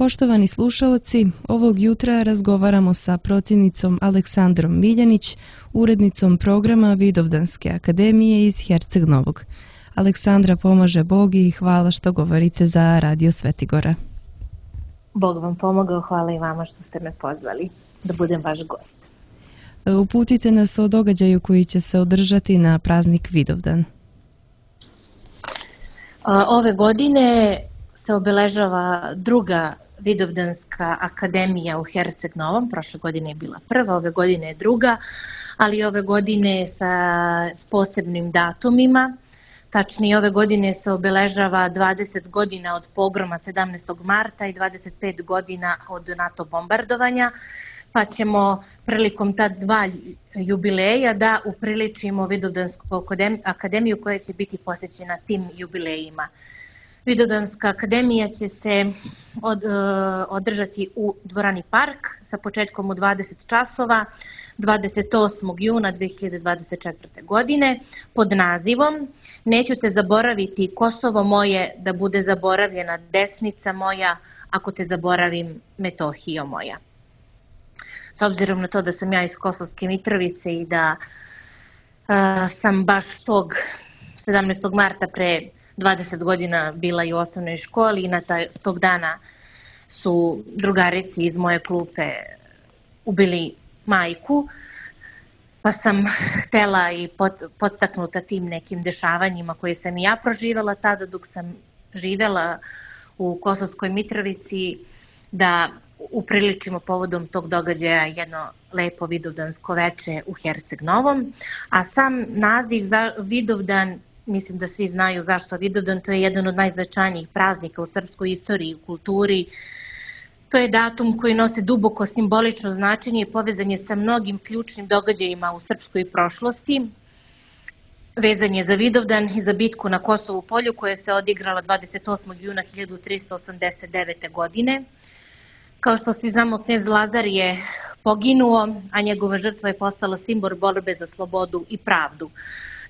Poštovani slušaoci, ovog jutra razgovaramo sa protivnicom Aleksandrom Miljanić, urednicom programa Vidovdanske akademije iz Herceg Novog. Aleksandra, pomaže Bog i hvala što govorite za Radio Svetigora. Bog vam pomogao, hvala i vama što ste me pozvali da budem vaš gost. Uputite nas o događaju koji će se održati na praznik Vidovdan. Ove godine se obeležava druga Vidovdanska akademija u Herceg Novom. Prošle godine je bila prva, ove godine je druga, ali ove godine sa posebnim datumima. Tačnije, ove godine se obeležava 20 godina od pogroma 17. marta i 25 godina od NATO bombardovanja, pa ćemo prilikom ta dva jubileja da upriličimo Vidovdansku akademiju koja će biti posvećena tim jubilejima. Vidovdanska akademija će se održati u dvorani Park sa početkom u 20 časova 28. juna 2024. godine pod nazivom Neću te zaboraviti, Kosovo moje, da bude zaboravljena desnica moja, ako te zaboravim, Metohijo moja. S obzirom na to da sam ja iz Kosovske Mitrovice i da sam baš tog 17. marta pre 20 godina bila i u osnovnoj školi i na tog dana su drugarici iz moje klupe ubili majku, pa sam htela i podstaknuta tim nekim dešavanjima koje sam i ja proživela tada dok sam živela u Kosovskoj Mitrovici, da upriličimo povodom tog događaja jedno lepo vidovdansko veče u Herceg Novom. A sam naziv za Vidovdan, mislim da svi znaju zašto Vidovdan, to je jedan od najznačajnijih praznika u srpskoj istoriji i kulturi. To je datum koji nosi duboko simbolično značenje i povezan je sa mnogim ključnim događajima u srpskoj prošlosti. Vezan je za Vidovdan i za bitku na Kosovu polju koja se odigrala 28. juna 1389. godine. Kao što svi znamo, knez Lazar je poginuo, a njegova žrtva je postala simbol borbe za slobodu i pravdu.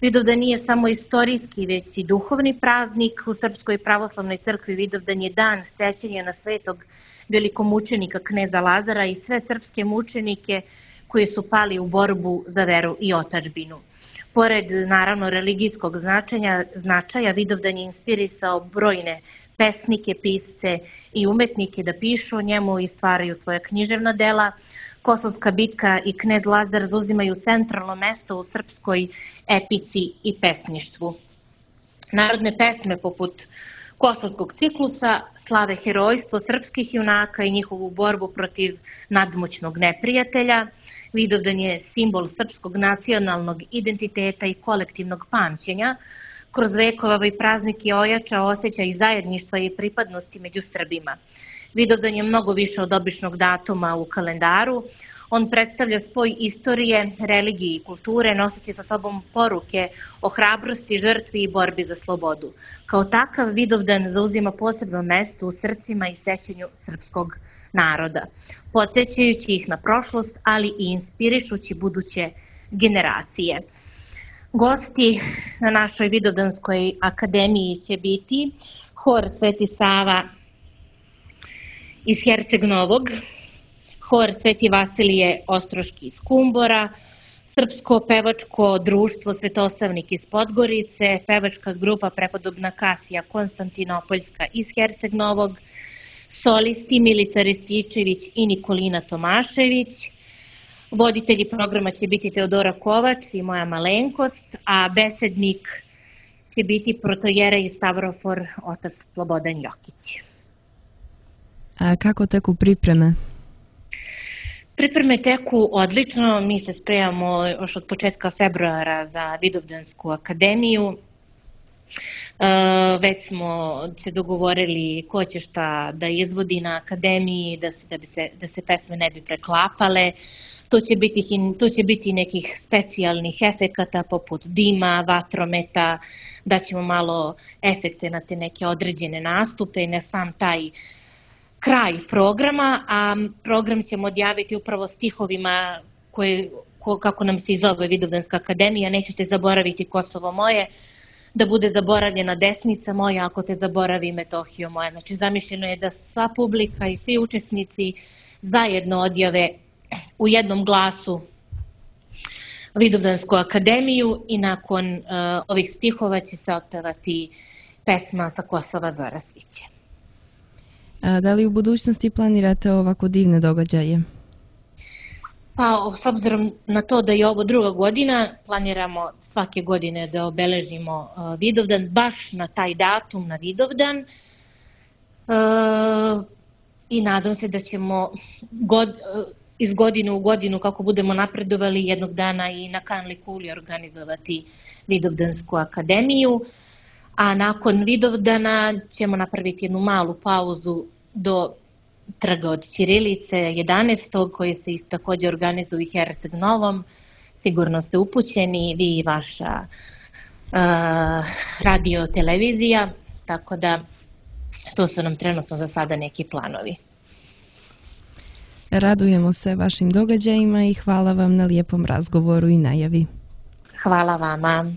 Vidovdan nije samo istorijski, već i duhovni praznik. U Srpskoj pravoslavnoj crkvi Vidovdan je dan sećanja na svetog velikomučenika kneza Lazara i sve srpske mučenike koji su pali u borbu za veru i otadžbinu. Pored, naravno, religijskog značaja, Vidovdan je inspirisao brojne pesnike, pisce i umetnike da pišu o njemu i stvaraju svoja književna dela. Kosovska bitka i knez Lazar zauzimaju centralno mesto u srpskoj epici i pesništvu. Narodne pesme poput Kosovskog ciklusa slave herojstvo srpskih junaka i njihovu borbu protiv nadmoćnog neprijatelja. Vidovdan je simbol srpskog nacionalnog identiteta i kolektivnog pamćenja. Kroz vekova ovaj praznik je ojačao osjećaj zajedništva i pripadnosti među Srbima. Vidovdan je mnogo više od običnog datuma u kalendaru. On predstavlja spoj istorije, religije i kulture, noseći sa sobom poruke o hrabrosti, žrtvi i borbi za slobodu. Kao takav, Vidovdan zauzima posebno mesto u srcima i sećanju srpskog naroda, podsjećajući ih na prošlost, ali i inspirišući buduće generacije. Gosti na našoj Vidovdanskoj akademiji će biti hor Sveti Sava iz Herceg Novog, hor Sveti Vasilije Ostroški iz Kumbora, Srpsko pevačko društvo Svetosavnik iz Podgorice, pevačka grupa Prepodobna Kasija Konstantinopoljska iz Herceg Novog, solisti Milica Rističević i Nikolina Tomašević. Voditelji programa će biti Teodora Kovač i moja malenkost, a besednik će biti protojerej Stavrofor otac Slobodan Jokić. A kako teku pripreme? Pripreme teku odlično, mi se spremamo još od početka februara za Vidovdansku akademiju. Već smo se dogovorili ko će šta da izvodi na akademiji, da se pesme ne bi preklapale. Tu će biti nekih specijalnih efekata poput dima, vatrometa, da ćemo malo efekte na te neke određene nastupe i na sam taj kraj programa, a program ćemo odjaviti upravo stihovima kako nam se i zove Vidovdanska akademija, Neću te zaboraviti, Kosovo moje, da bude zaboravljena desnica moja ako te zaboravi Metohijo moja. Znači zamišljeno je da sva publika i svi učesnici zajedno odjave u jednom glasu Vidovdansku akademiju i nakon ovih stihova će se otpevati pesma Sa Kosova zora sviće. Da li u budućnosti planirate ovako divne događaje? Pa, s obzirom na to da je ovo druga godina, planiramo svake godine da obeležimo Vidovdan, baš na taj datum, na Vidovdan. I nadam se da ćemo iz godine u godinu, kako budemo napredovali, jednog dana i na Kanli kuli organizovati Vidovdansku akademiju. A nakon Vidovdana ćemo napraviti jednu malu pauzu do Trga od Ćirilice 11. koji se također organizuje u Herceg Novom. Sigurno ste upućeni, vi i vaša radio televizija, tako da to su nam trenutno za sada neki planovi. Radujemo se vašim događajima i hvala vam na lijepom razgovoru i najavi. Hvala vama.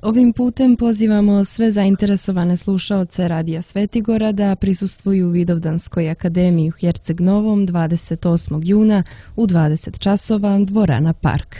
Ovim putem pozivamo sve zainteresovane slušaoce Radija Svetigora da prisustvuju Vidovdanskoj akademiji u Herceg Novom 28. juna u 20 časova, dvorana Park.